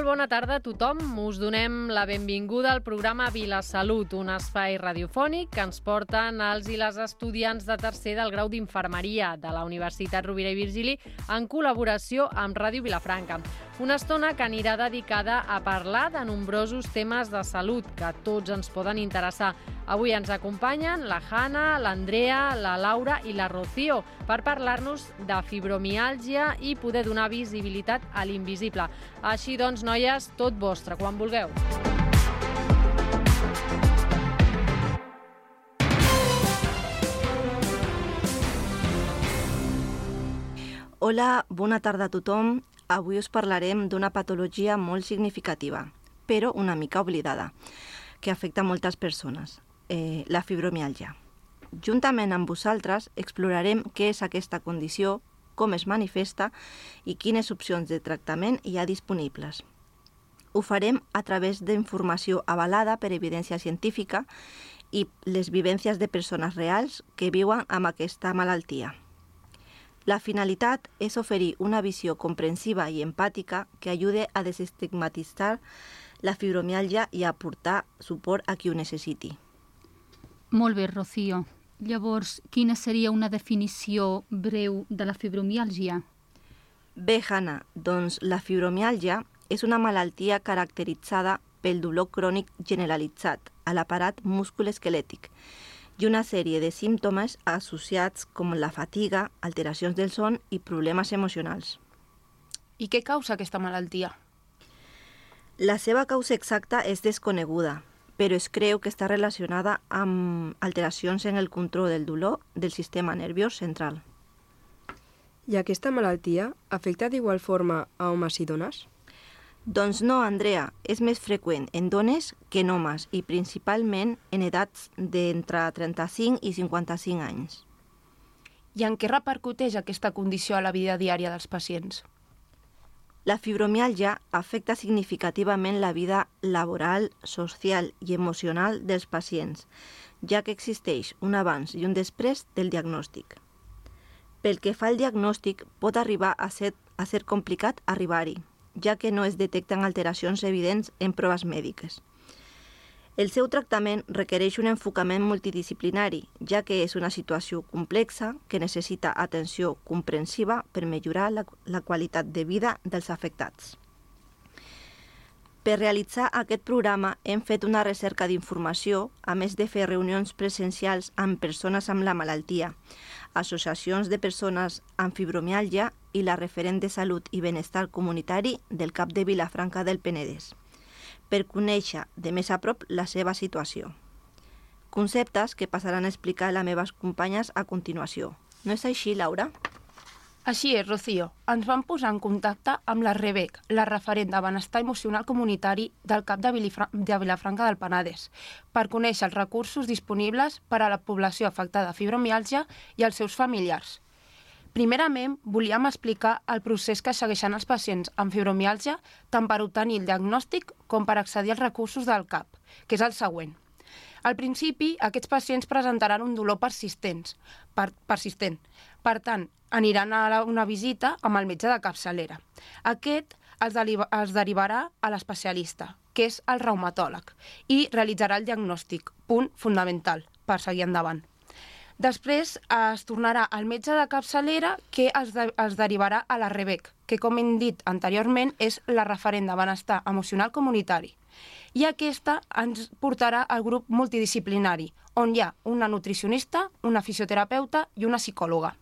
Molt bona tarda a tothom. Us donem la benvinguda al programa Vilasalut, un espai radiofònic que ens porten els i les estudiants de tercer del grau d'Infermeria de la Universitat Rovira i Virgili en col·laboració amb Ràdio Vilafranca. Una estona que anirà dedicada a parlar de nombrosos temes de salut que tots ens poden interessar. Avui ens acompanyen la Hanna, l'Andrea, la Laura i la Rocío per parlar-nos de fibromiàlgia i poder donar visibilitat a l'invisible. Així doncs, noies, tot vostre, quan vulgueu. Hola, bona tarda a tothom. Avui us parlarem d'una patologia molt significativa, però una mica oblidada, que afecta moltes persones, la fibromiàlgia. Juntament amb vosaltres explorarem què és aquesta condició, com es manifesta i quines opcions de tractament hi ha disponibles. Ho farem a través d'informació avalada per evidència científica i les vivències de persones reals que viuen amb aquesta malaltia. La finalitat és oferir una visió comprensiva i empàtica que ajude a desestigmatitzar la fibromiàlgia i a aportar suport a qui ho necessiti. Molt bé, Rocío. Llavors, quina seria una definició breu de la fibromiàlgia? Bé, Hanna, doncs la fibromiàlgia és una malaltia caracteritzada pel dolor crònic generalitzat a l'aparat musculoesquelètic i una sèrie de símptomes associats com la fatiga, alteracions del son i problemes emocionals. I què causa aquesta malaltia? La seva causa exacta és desconeguda, però es creu que està relacionada amb alteracions en el control del dolor del sistema nerviós central. I aquesta malaltia afecta d'igual forma a homes i dones? Doncs no, Andrea, és més freqüent en dones que en homes i principalment en edats d'entre 35 i 55 anys. I en què repercuteix aquesta condició a la vida diària dels pacients? La fibromiàlgia afecta significativament la vida laboral, social i emocional dels pacients, ja que existeix un abans i un després del diagnòstic. Pel que fa al diagnòstic, pot arribar a ser complicat arribar-hi, ja que no es detecten alteracions evidents en proves mèdiques. El seu tractament requereix un enfocament multidisciplinari, ja que és una situació complexa que necessita atenció comprensiva per millorar la qualitat de vida dels afectats. Per realitzar aquest programa hem fet una recerca d'informació, a més de fer reunions presencials amb persones amb la malaltia, associacions de persones amb fibromiàlgia i la referent de salut i benestar comunitari del CAP de Vilafranca del Penedès, per conèixer de més a prop la seva situació. Conceptes que passaran a explicar a les meves companyes a continuació. No és així, Laura? Així és, Rocío. Ens vam posar en contacte amb la Rebec, la referent de benestar emocional comunitari del CAP de Vilafranca del Penedès, per conèixer els recursos disponibles per a la població afectada de fibromiàlgia i els seus familiars. Primerament, volíem explicar el procés que segueixen els pacients amb fibromiàlgia tant per obtenir el diagnòstic com per accedir als recursos del CAP, que és el següent. Al principi, aquests pacients presentaran un dolor persistent. Per tant, aniran a una visita amb el metge de capçalera. Aquest els derivarà a l'especialista, que és el reumatòleg, i realitzarà el diagnòstic, punt fonamental per seguir endavant. Després es tornarà al metge de capçalera que els derivarà a la Rebec, que com hem dit anteriorment és la referent de benestar emocional comunitari. I aquesta ens portarà al grup multidisciplinari, on hi ha una nutricionista, una fisioterapeuta i una psicòloga.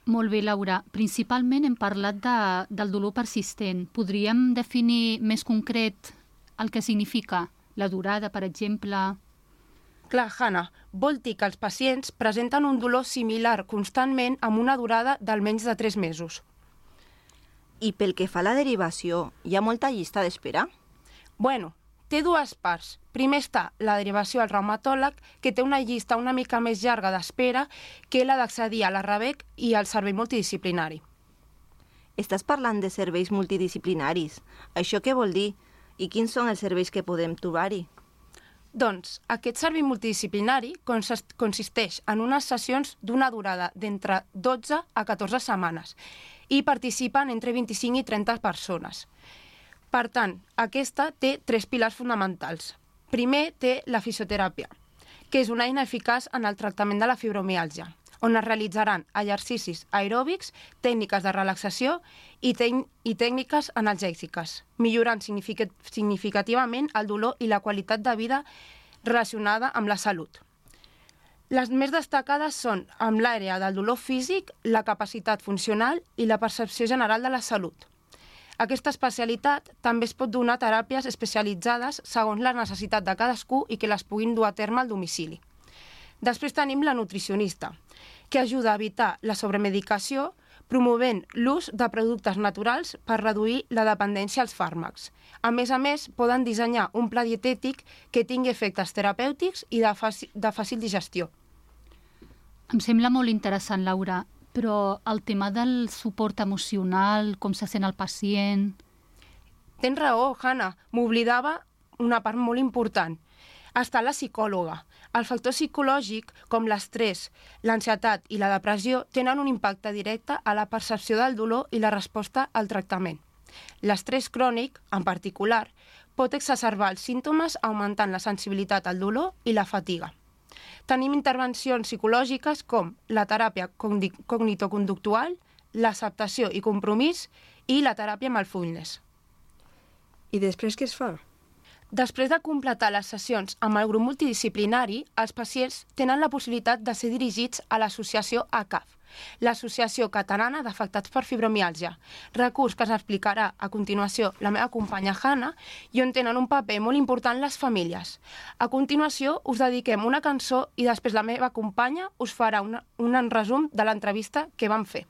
Molt bé, Laura. Principalment hem parlat del dolor persistent. Podríem definir més concret el que significa? La durada, per exemple? Clar, Hanna, vol dir que els pacients presenten un dolor similar constantment amb una durada d'almenys de 3 mesos. I pel que fa a la derivació, hi ha molta llista d'espera? Bueno, té 2 parts. Primer està la derivació al reumatòleg, que té una llista una mica més llarga d'espera que la d'accedir a la Rebec i al servei multidisciplinari. Estàs parlant de serveis multidisciplinaris. Això què vol dir? I quins són els serveis que podem trobar-hi? Doncs aquest servei multidisciplinari consisteix en unes sessions d'una durada d'entre 12 a 14 setmanes i participen entre 25 i 30 persones. Per tant, aquesta té 3 pilars fonamentals. Primer té la fisioteràpia, que és una eina eficaç en el tractament de la fibromiàlgia, on es realitzaran exercicis aeròbics, tècniques de relaxació i tècniques analgèsiques, millorant significativament el dolor i la qualitat de vida relacionada amb la salut. Les més destacades són amb l'àrea del dolor físic, la capacitat funcional i la percepció general de la salut. Aquesta especialitat també es pot donar teràpies especialitzades segons la necessitat de cadascú i que les puguin dur a terme al domicili. Després tenim la nutricionista, que ajuda a evitar la sobremedicació promovent l'ús de productes naturals per reduir la dependència als fàrmacs. A més, poden dissenyar un pla dietètic que tingui efectes terapèutics i de fàcil digestió. Em sembla molt interessant, Laura, però el tema del suport emocional, com se sent el pacient... Tens raó, Hanna. M'oblidava una part molt important. Està la psicòloga. El factor psicològic, com l'estrès, l'ansietat i la depressió, tenen un impacte directe a la percepció del dolor i la resposta al tractament. L'estrès crònic, en particular, pot exacerbar els símptomes augmentant la sensibilitat al dolor i la fatiga. Tenim intervencions psicològiques com la teràpia cognitoconductual, l'acceptació i compromís i la teràpia mindfulness. I després què es fa? Després de completar les sessions amb el grup multidisciplinari, els pacients tenen la possibilitat de ser dirigits a l'associació ACAF, l'Associació Catalana d'Afectats per Fibromiàlgia, recurs que ens explicarà a continuació la meva companya Hanna i on tenen un paper molt important les famílies. A continuació us dediquem una cançó i després la meva companya us farà un resum de l'entrevista que vam fer.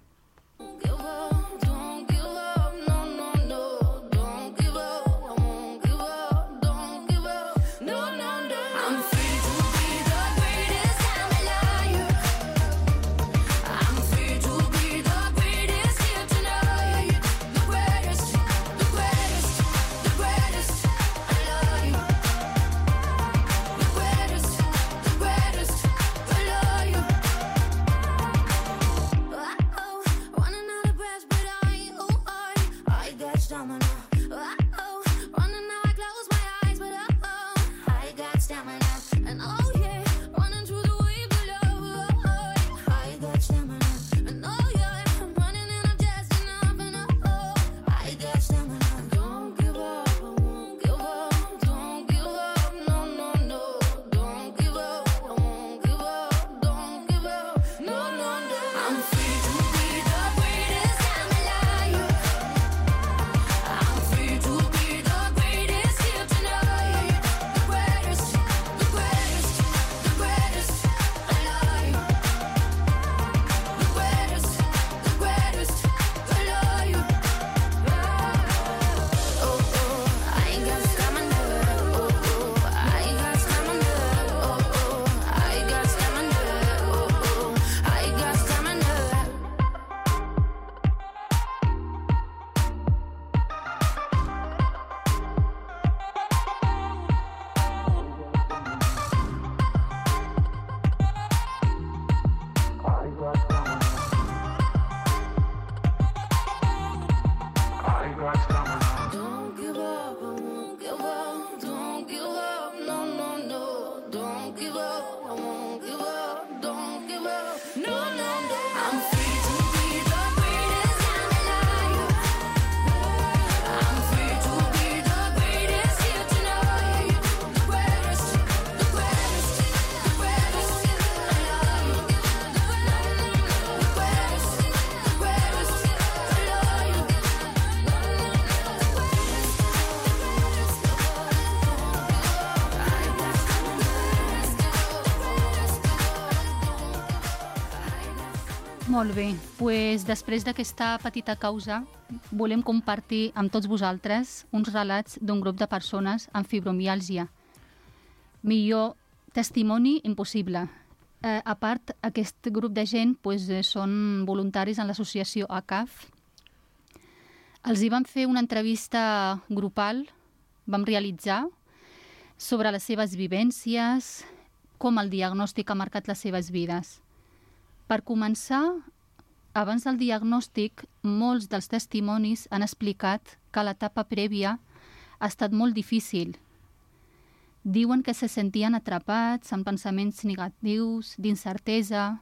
Molt bé, doncs després d'aquesta petita causa volem compartir amb tots vosaltres uns relats d'un grup de persones amb fibromiàlgia. Millor testimoni impossible. A part, aquest grup de gent són voluntaris en l'associació ACAF. Els hi vam fer una entrevista grupal, vam realitzar, sobre les seves vivències, com el diagnòstic ha marcat les seves vides. Per començar, abans del diagnòstic, molts dels testimonis han explicat que a l'etapa prèvia ha estat molt difícil. Diuen que se sentien atrapats amb pensaments negatius, d'incertesa,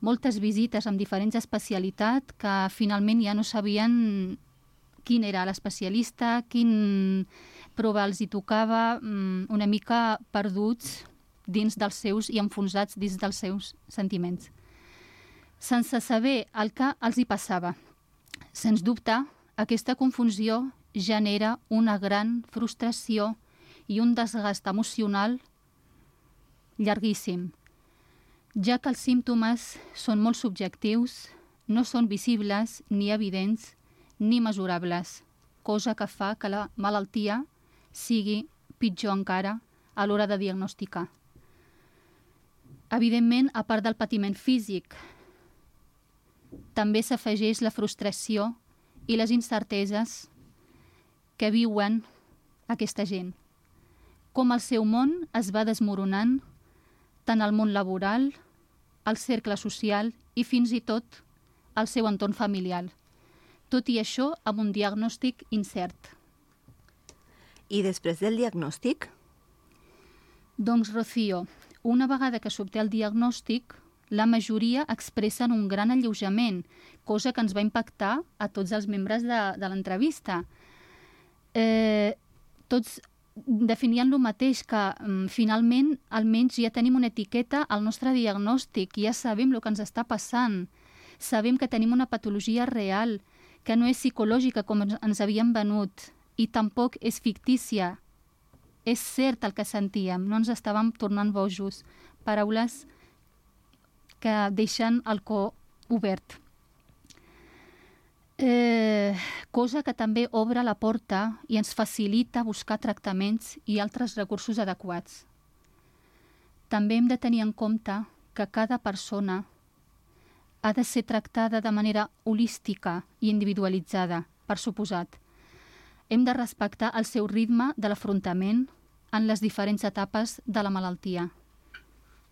moltes visites amb diferents especialitats que finalment ja no sabien quin era l'especialista, quin prova els hi tocava, una mica perduts dins dels seus i enfonsats dins dels seus sentiments. Sense saber el que els hi passava. Sens dubte, aquesta confusió genera una gran frustració i un desgast emocional llarguíssim, ja que els símptomes són molt subjectius, no són visibles ni evidents ni mesurables, cosa que fa que la malaltia sigui pitjor encara a l'hora de diagnosticar. Evidentment, a part del patiment físic, també s'afegeix la frustració i les incerteses que viuen aquesta gent. Com el seu món es va desmoronant, tant el món laboral, el cercle social i fins i tot el seu entorn familiar. Tot i això amb un diagnòstic incert. I després del diagnòstic? Doncs, Rocío, una vegada que s'obté el diagnòstic, la majoria expressen un gran alleujament, cosa que ens va impactar a tots els membres de l'entrevista. Tots definien el mateix, que finalment almenys ja tenim una etiqueta al nostre diagnòstic, ja sabem el que ens està passant, sabem que tenim una patologia real, que no és psicològica com ens havien venut i tampoc és fictícia. És cert el que sentíem, no ens estàvem tornant bojos. Paraules que deixen el cor obert. Cosa que també obre la porta i ens facilita buscar tractaments i altres recursos adequats. També hem de tenir en compte que cada persona ha de ser tractada de manera holística i individualitzada, per suposat. Hem de respectar el seu ritme de l'afrontament en les diferents etapes de la malaltia,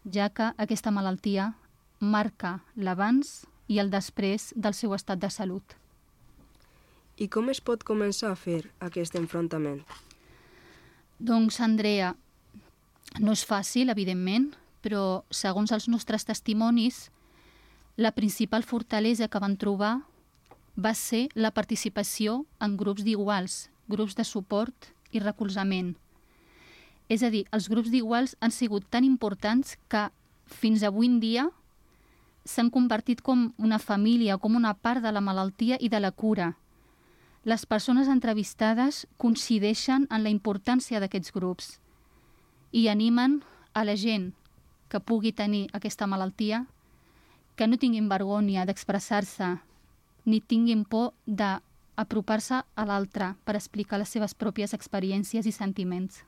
ja que aquesta malaltia marca l'abans i el després del seu estat de salut. I com es pot començar a fer aquest enfrontament? Doncs, Andrea, no és fàcil, evidentment, però segons els nostres testimonis, la principal fortalesa que van trobar va ser la participació en grups d'iguals, grups de suport i recolzament. És a dir, els grups d'iguals han sigut tan importants que fins avui en dia s'han convertit com una família, com una part de la malaltia i de la cura. Les persones entrevistades coincideixen en la importància d'aquests grups i animen a la gent que pugui tenir aquesta malaltia que no tinguin vergonya d'expressar-se ni tinguin por d'apropar-se a l'altre per explicar les seves pròpies experiències i sentiments.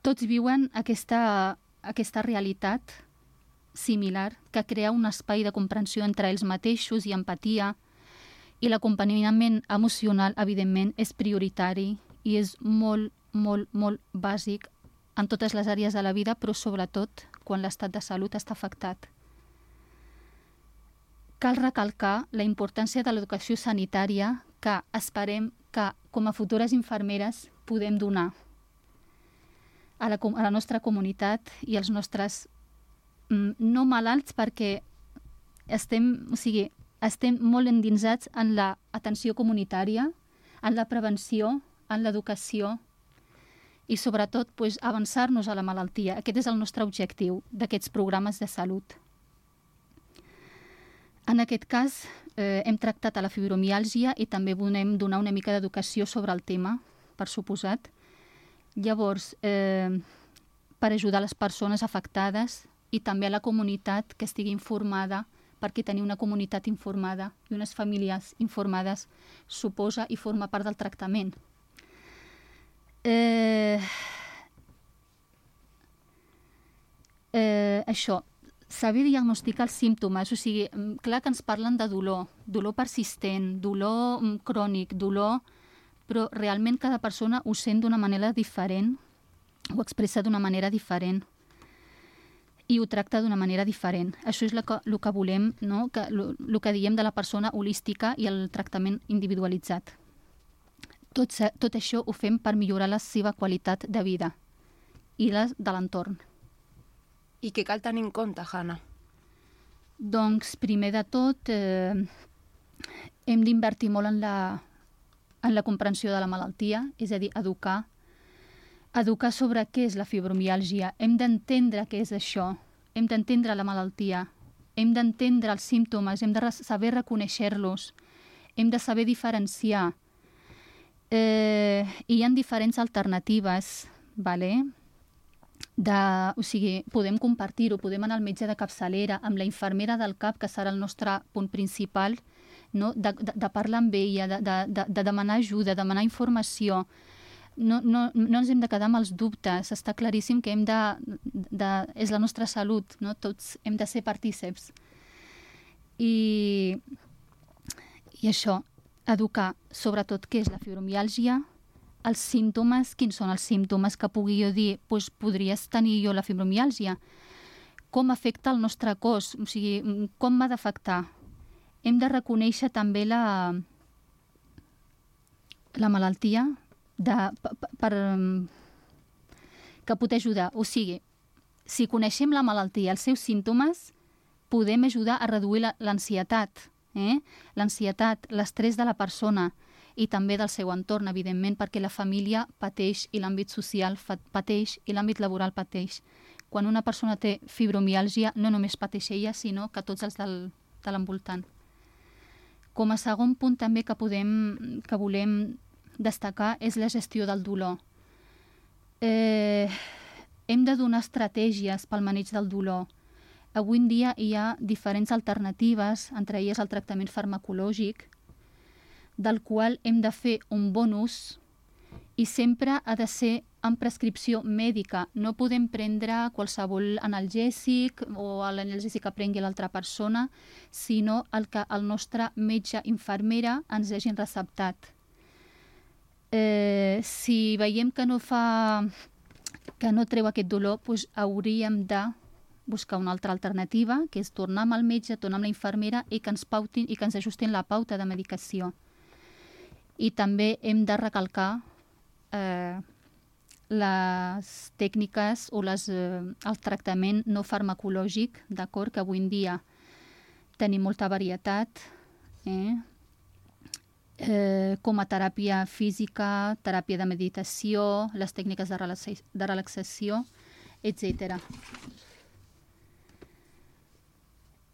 Tots viuen aquesta realitat similar que crea un espai de comprensió entre ells mateixos i empatia, i l'acompanyament emocional, evidentment, és prioritari i és molt, molt, molt bàsic en totes les àrees de la vida, però sobretot quan l'estat de salut està afectat. Cal recalcar la importància de l'educació sanitària que esperem que, com a futures infermeres, podem donar a la nostra comunitat i als nostres no malalts, perquè estem molt endinsats en l'atenció comunitària, en la prevenció, en l'educació i sobretot avançar-nos a la malaltia. Aquest és el nostre objectiu d'aquests programes de salut. En aquest cas hem tractat a la fibromiàlgia i també volem donar una mica d'educació sobre el tema, per suposat. Llavors, per ajudar les persones afectades i també a la comunitat que estigui informada, perquè tenir una comunitat informada i unes famílies informades suposa i forma part del tractament. Això, saber diagnosticar els símptomes, o sigui, clar que ens parlen de dolor persistent, dolor crònic, dolor, però realment cada persona ho sent d'una manera diferent, ho expressa d'una manera diferent. i ho tracta d'una manera diferent. Això és el que volem, no? El que diem de la persona holística i el tractament individualitzat. Tot això ho fem per millorar la seva qualitat de vida i la de l'entorn. I què cal tenir en compte, Hanna? Doncs, primer de tot, hem d'invertir molt en la comprensió de la malaltia, és a dir, educar sobre què és la fibromiàlgia. Hem d'entendre què és això, hem d'entendre la malaltia, hem d'entendre els símptomes, hem de saber reconèixer-los, hem de saber diferenciar. Hi ha diferents alternatives, vale? O sigui, podem compartir-ho, podem anar al metge de capçalera, amb la infermera del CAP, que serà el nostre punt principal, no? de parlar amb ella, de demanar ajuda, demanar informació. No ens hem de quedar amb els dubtes, està claríssim que és la nostra salut, no? Tots hem de ser partíceps. I això, educar sobretot què és la fibromiàlgia, els símptomes, quins són els símptomes que pugui jo dir, doncs podries tenir jo la fibromiàlgia, com afecta el nostre cos, o sigui, com m'ha d'afectar. Hem de reconèixer també la malaltia que pot ajudar. O sigui, si coneixem la malaltia, els seus símptomes, podem ajudar a reduir l'ansietat, l'ansietat, l'estrès de la persona i també del seu entorn, evidentment, perquè la família pateix i l'àmbit social pateix i l'àmbit laboral pateix. Quan una persona té fibromiàlgia, no només pateix ella, sinó que tots els de l'envoltant. Com a segon punt també que volem destacar és la gestió del dolor. Hem de donar estratègies pel maneig del dolor. Avui en dia hi ha diferents alternatives, entre elles el tractament farmacològic, del qual hem de fer un bon ús i sempre ha de ser amb prescripció mèdica. No podem prendre qualsevol analgèsic o l'analgèsic que prengui l'altra persona, sinó el que el nostre metge infermera ens hagin receptat. Si veiem que no treu aquest dolor, doncs hauríem de buscar una altra alternativa, que és tornar amb el metge, tornar amb la infermera i que ens pautin i que ens ajustin la pauta de medicació. I també hem de recalcar les tècniques o el tractament no farmacològic, d'acord, que avui en dia tenim molta varietat, com a teràpia física, teràpia de meditació, les tècniques de relaxació, etc.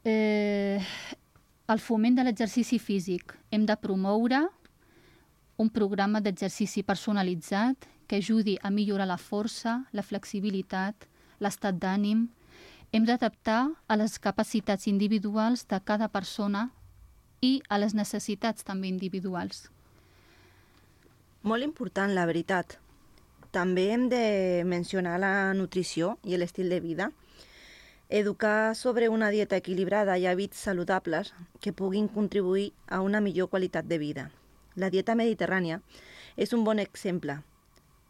El foment de l'exercici físic. Hem de promoure un programa d'exercici personalitzat que ajudi a millorar la força, la flexibilitat, l'estat d'ànim. Hem d'adaptar a les capacitats individuals de cada persona i a les necessitats també individuals. Molt important, la veritat. També hem de mencionar la nutrició i l'estil de vida. Educar sobre una dieta equilibrada i hàbits saludables que puguin contribuir a una millor qualitat de vida. La dieta mediterrània és un bon exemple,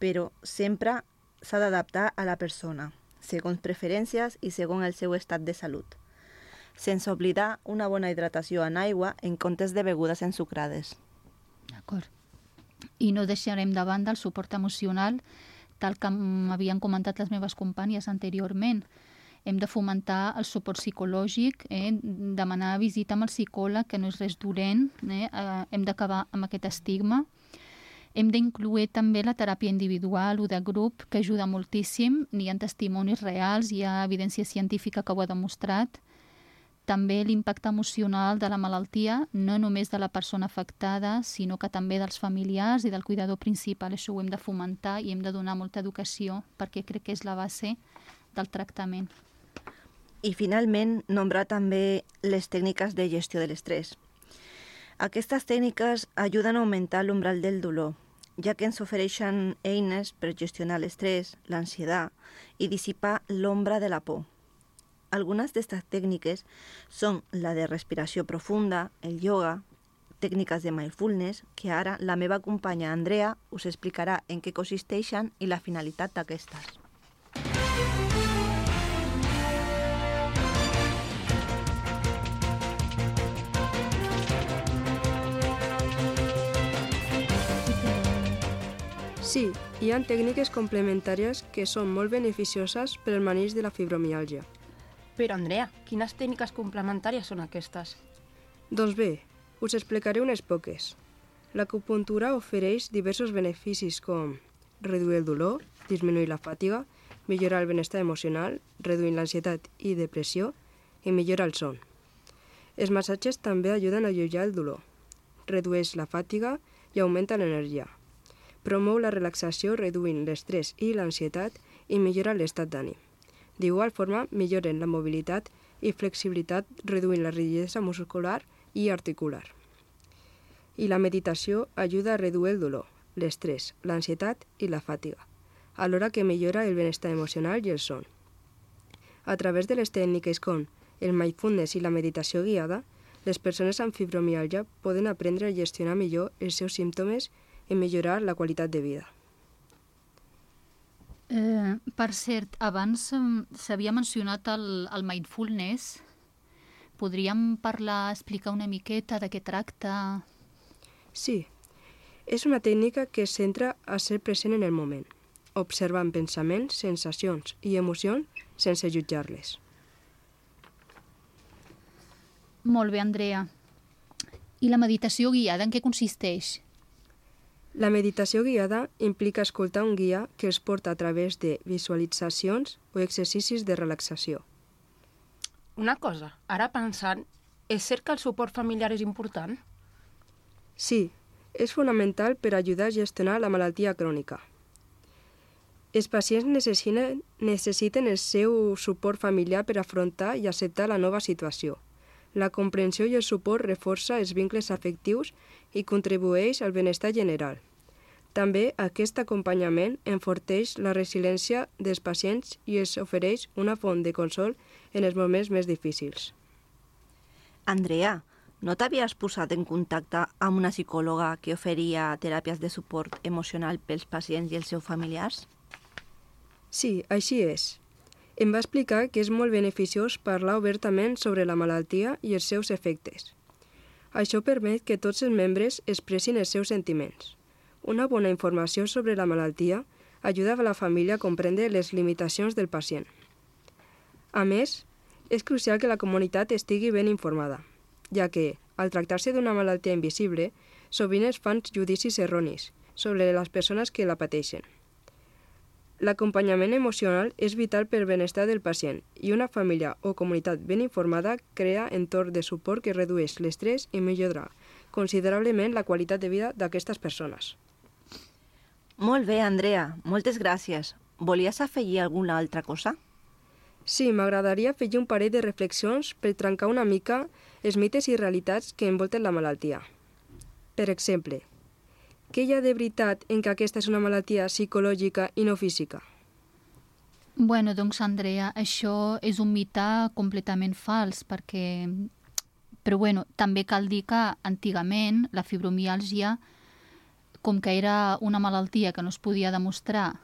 però sempre s'ha d'adaptar a la persona, segons preferències i segons el seu estat de salut, sense oblidar una bona hidratació en aigua en comptes de begudes ensucrades. D'acord. I no deixarem de banda el suport emocional, tal com havien comentat les meves companyes anteriorment. Hem de fomentar el suport psicològic, demanar visita amb el psicòleg, que no és res dolent, hem d'acabar amb aquest estigma. Hem d'incloure també la teràpia individual o de grup, que ajuda moltíssim. N'hi ha testimonis reals, hi ha evidència científica que ho ha demostrat. També l'impacte emocional de la malaltia, no només de la persona afectada, sinó que també dels familiars i del cuidador principal. Això ho hem de fomentar i hem de donar molta educació, perquè crec que és la base del tractament. I finalment, nombrar també les tècniques de gestió de l'estrès. Aquestes tècniques ajuden a augmentar l'umbral del dolor, ja que ens ofereixen eines per gestionar l'estrès, l'ansietat i dissipar l'ombra de la por. Algunes d'aquestes tècniques són la de respiració profunda, el ioga, tècniques de mindfulness, que ara la meva companya Andrea us explicarà en què consisteixen i la finalitat d'aquestes. Sí, hi ha tècniques complementàries que són molt beneficioses per al maneig de la fibromiàlgia. Però, Andrea, quines tècniques complementàries són aquestes? Doncs bé, us explicaré unes poques. L'acupuntura ofereix diversos beneficis com reduir el dolor, disminuir la fatiga, millorar el benestar emocional, reduint l'ansietat i depressió i millorar el son. Els massatges també ajuden a alleujar el dolor, redueix la fatiga i augmenta l'energia. Promou la relaxació reduint l'estrès i l'ansietat i millora l'estat d'ànim. D'igual forma, milloren la mobilitat i flexibilitat reduint la rigidesa muscular i articular. I la meditació ajuda a reduir el dolor, l'estrès, l'ansietat i la fatiga, alhora que millora el benestar emocional i el son. A través de les tècniques com el mindfulness i la meditació guiada, les persones amb fibromiàlgia poden aprendre a gestionar millor els seus símptomes i millorar la qualitat de vida. Per cert, abans s'havia mencionat el mindfulness. Podríem explicar una miqueta de què tracta? Sí, és una tècnica que es centra a ser present en el moment, observant pensaments, sensacions i emocions sense jutjar-les. Molt bé, Andrea. I la meditació guiada en què consisteix? La meditació guiada implica escoltar un guia que els porta a través de visualitzacions o exercicis de relaxació. Una cosa, ara pensant, és cert que el suport familiar és important? Sí, és fonamental per ajudar a gestionar la malaltia crònica. Els pacients necessiten el seu suport familiar per afrontar i acceptar la nova situació. La comprensió i el suport reforça els vincles afectius i contribueix al benestar general. També aquest acompanyament enforteix la resiliència dels pacients i els ofereix una font de consol en els moments més difícils. Andrea, no t'havies posat en contacte amb una psicòloga que oferia teràpies de suport emocional pels pacients i els seus familiars? Sí, així és. Em va explicar que és molt beneficiós parlar obertament sobre la malaltia i els seus efectes. Això permet que tots els membres expressin els seus sentiments. Una bona informació sobre la malaltia ajuda a la família a comprendre les limitacions del pacient. A més, és crucial que la comunitat estigui ben informada, ja que, al tractar-se d'una malaltia invisible, sovint es fan judicis erronis sobre les persones que la pateixen. L'acompanyament emocional és vital per al benestar del pacient i una família o comunitat ben informada crea entorn de suport que redueix l'estrès i millora considerablement la qualitat de vida d'aquestes persones. Molt bé, Andrea, moltes gràcies. Volies afegir alguna altra cosa? Sí, m'agradaria afegir un parell de reflexions per trencar una mica els mites i realitats que envolten la malaltia. Per exemple, què hi ha de veritat en que aquesta és una malaltia psicològica i no física? Bueno, doncs, Andrea, això és un mite completament fals, perquè... Però bueno, també cal dir que antigament la fibromiàlgia, com que era una malaltia que no es podia demostrar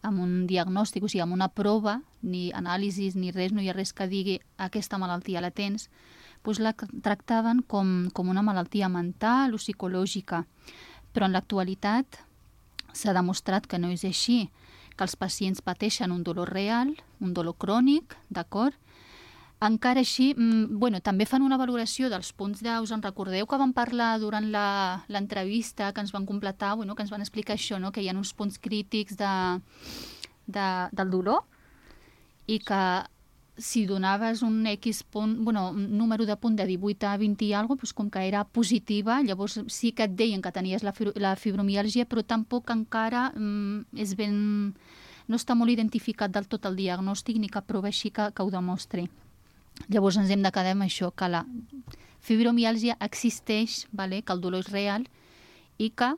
amb un diagnòstic, o sigui, amb una prova, ni anàlisis ni res, no hi ha res que digui aquesta malaltia la tens, doncs la tractaven com una malaltia mental o psicològica. Però en l'actualitat s'ha demostrat que no és així, que els pacients pateixen un dolor real, un dolor crònic, d'acord? Encara així, també fan una valoració dels punts us en recordeu que vam parlar durant l'entrevista que ens van completar, que ens van explicar això, que hi ha uns punts crítics del dolor i que si donaves un X punt, un número de punt de 18 a 20 i alguna cosa, com que era positiva, llavors sí que et deien que tenies la fibromiàlgia, però tampoc encara no està molt identificat del tot el diagnòstic ni cap prova així que ho demostri. Llavors ens hem de quedar amb això, que la fibromiàlgia existeix, que el dolor és real i que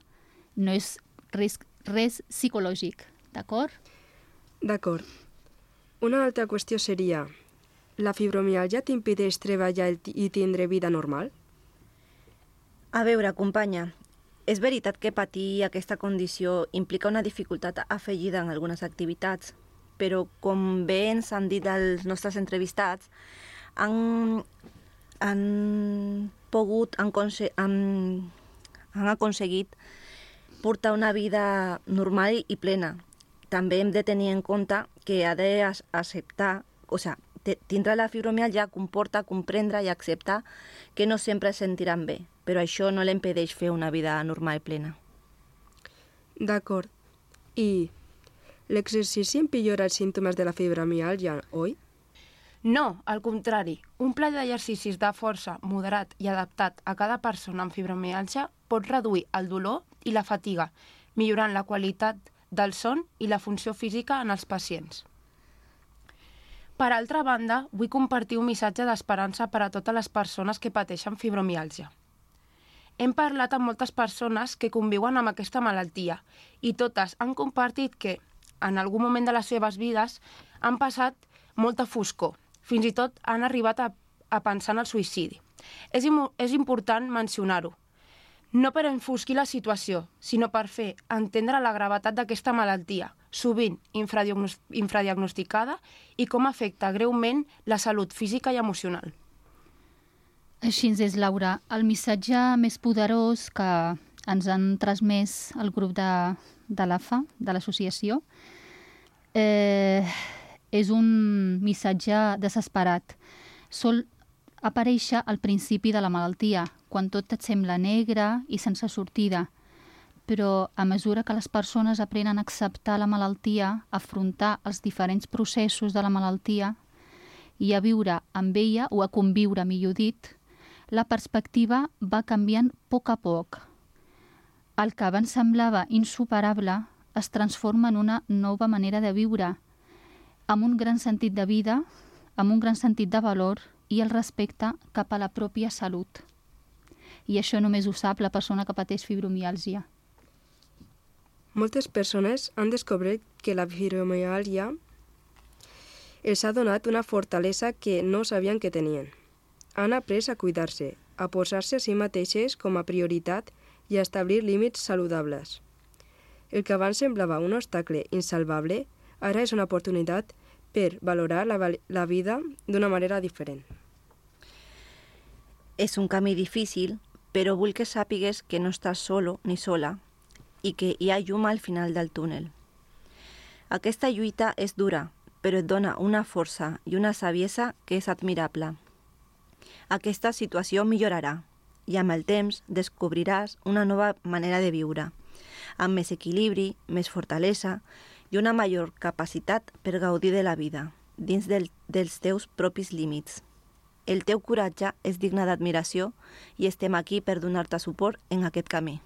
no és res psicològic, d'acord? D'acord. Una altra qüestió seria, la fibromiàlgia t'impedeix treballar i tindre vida normal? A veure, companya, és veritat que patir aquesta condició implica una dificultat afegida en algunes activitats, però com bé ens han dit els nostres entrevistats, han aconseguit portar una vida normal i plena. També hem de tenir en compte que ha d'acceptar, tindre la fibromiàlgia comporta comprendre i acceptar que no sempre es sentiran bé, però això no l'impedeix fer una vida normal i plena. D'acord. I l'exercici empillora els símptomes de la fibromiàlgia, oi? No, al contrari. Un pla d'exercicis de força moderat i adaptat a cada persona amb fibromiàlgia pot reduir el dolor i la fatiga, millorant la qualitat del son i la funció física en els pacients. Per altra banda, vull compartir un missatge d'esperança per a totes les persones que pateixen fibromiàlgia. Hem parlat amb moltes persones que conviuen amb aquesta malaltia i totes han compartit que, en algun moment de les seves vides, han passat molta foscor. Fins i tot han arribat a pensar en el suïcidi. És important mencionar-ho. No per enfosquir la situació, sinó per fer entendre la gravetat d'aquesta malaltia, sovint infradiagnosticada, i com afecta greument la salut física i emocional. Així és, Laura. El missatge més poderós que ens han transmès el grup de l'AFA, de l'associació, és un missatge desesperat. Sol aparèixer al principi de la malaltia, quan tot et sembla negre i sense sortida. Però a mesura que les persones aprenen a acceptar la malaltia, a afrontar els diferents processos de la malaltia i a viure amb ella, o a conviure, millor dit, la perspectiva va canviant a poc. El que abans semblava insuperable es transforma en una nova manera de viure, amb un gran sentit de vida, amb un gran sentit de valor i el respecte cap a la pròpia salut. I això només ho sap la persona que pateix fibromiàlgia. Moltes persones han descobert que la fibromiàlgia els ha donat una fortalesa que no sabien que tenien. Han après a cuidar-se, a posar-se a si mateixes com a prioritat i a establir límits saludables. El que abans semblava un obstacle insalvable, ara és una oportunitat per valorar la vida d'una manera diferent. És un camí difícil, però vull que sàpigues que no estàs solo ni sola i que hi ha llum al final del túnel. Aquesta lluita és dura, però et dona una força i una saviesa que és admirable. Aquesta situació millorarà i amb el temps descobriràs una nova manera de viure, amb més equilibri, més fortalesa i una major capacitat per gaudir de la vida, dins dels teus propis límits. El teu coratge és digne d'admiració i estem aquí per donar-te suport en aquest camí.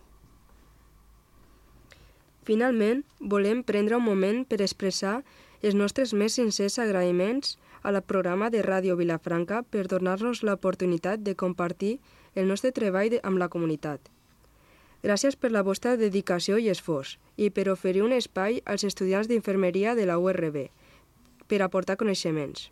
Finalment, volem prendre un moment per expressar els nostres més sincers agraïments al programa de Ràdio Vilafranca per donar-nos l'oportunitat de compartir el nostre treball amb la comunitat. Gràcies per la vostra dedicació i esforç i per oferir un espai als estudiants d'infermeria de la URB per aportar coneixements.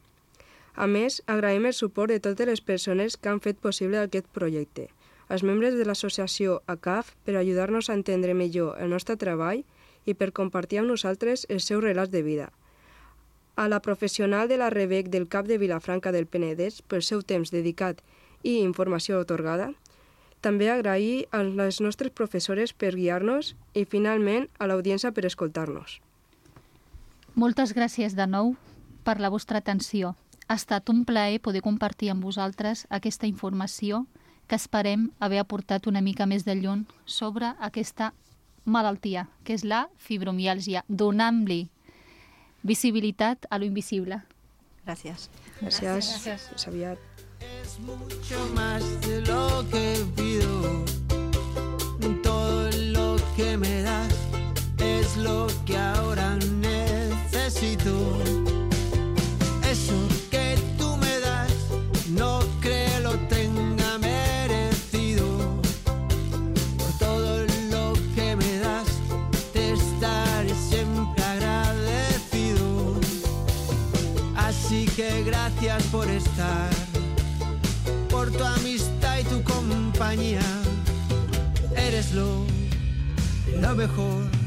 A més, agraïm el suport de totes les persones que han fet possible aquest projecte, als membres de l'associació ACAF per ajudar-nos a entendre millor el nostre treball i per compartir amb nosaltres els seus relats de vida. A la professional de la REBEC del CAP de Vilafranca del Penedès pel seu temps dedicat i informació atorgada, també agrair als nostres professores per guiar-nos i, finalment, a l'audiència per escoltar-nos. Moltes gràcies de nou per la vostra atenció. Ha estat un plaer poder compartir amb vosaltres aquesta informació que esperem haver aportat una mica més de llum sobre aquesta malaltia, que és la fibromiàlgia, donant-li visibilitat a lo invisible. Gràcies. Gràcies. Fins aviat. Es mucho más de lo que pido, todo lo que me das es lo que ahora necesito. Eso que tú me das no creo lo tenga merecido. Por todo lo que me das te estaré siempre agradecido. Así que gracias por estar, por tu amistad y tu compañía. Eres lo mejor.